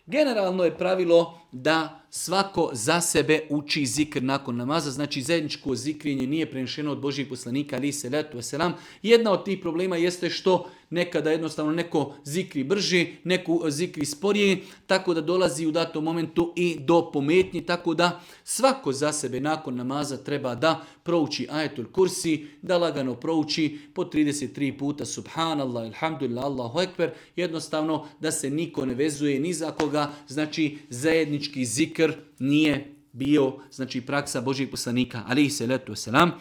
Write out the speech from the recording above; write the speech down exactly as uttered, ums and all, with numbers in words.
Generalno je pravilo da svako za sebe uči zikr nakon namaza, znači zajedničko zikrinje nije prenešeno od Božjih poslanika, ali se letu veselam. Jedna od tih problema jeste što nekada jednostavno neko zikri brži, neko zikri sporije, tako da dolazi u datom momentu i do pometnji, tako da svako za sebe nakon namaza treba da prouči ajetul kursi, da lagano prouči po trideset tri puta subhanallah, alhamdulillah, Allahu ekber, jednostavno da se niko ne vezuje ni za koga, znači zajednički zikr nije bio, znači praksa Božjih poslanika, alejhi selatu selam.